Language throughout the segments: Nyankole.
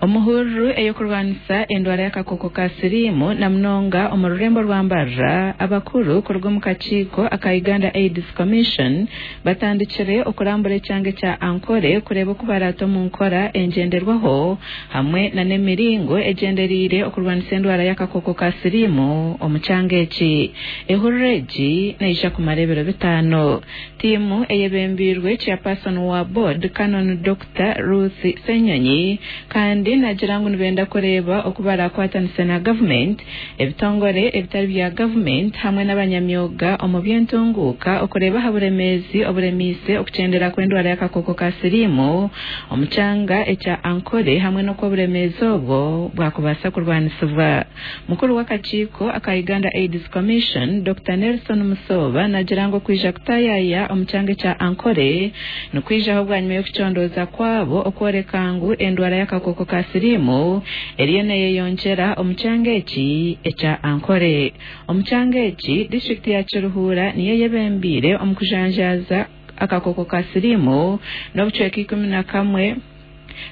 Omuhururu ey'okurwanisa endwara y'akakooko ka siriimu na munonga omu rurembo rwa Mbarara, abakuru kuruga omu kakiiko aka Uganda AIDS Commission batandikire okurambura ekyanga ekya Ankole kureeba oku baraate omu nkora engyenderwaho hamwe na n'emiringo egyendereire okurwanisa endwara y'akakooko ka siriimu omu kyanga eki. Ehururu egi neija kumara ebiro bitaano. Tiimu eyebembeirwe Chairperson wa Board Canon Dokita Ruth Ssenyonyi kandi nagira ngu nibenda kureeba oku barakwatanise na gavumenti, ebitongore ebitari bya gavumenti hamwe n'abanyamyoga omu by'entunguuka okureeba aha buremeezi oburemiise okukyendera kw'endwara y'akakooko ka siriimu omu kyanga ekya Ankole hamwe n'oku oburemeezi obwo bwakubaasa kurwanisibwa. Mukuru w'akakiiko aka Uganda AIDS Commission, Dokita Nelson Musooba nagira ngu okwija kutaayaaya omu kyanga ekya Ankole nikwijaho bwanyima y'okucondooza kwabo okworeka ngu endwara y'akakooko ka siriimu eriyo neyeyongyera omu kyanga eki ekya Ankole. Omu kyanga eki, disiturikiti ya Kiruhura niyo eyebembeire omu kujanjaaza akakooko ka siriimu n'obucweka 11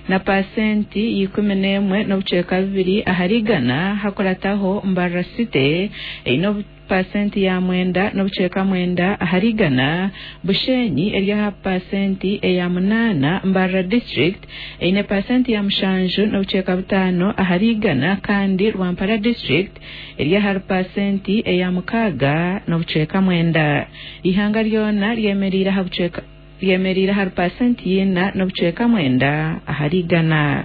na paasenti ya 11.2 ahari igana, hakurataho Mbarara City eine paasenti ya 9.9 ahari igana, Bushenyi eri aha paasenti eya munaana, Mbarara District eine paasenti ya 7.5 ahari igana kandi Rwampara District eri ahari paasenti eya 6.9. Eihanga ryona ryemereire aha bucweka ryemereire ahari paasenti ya 4.9 ahari igana.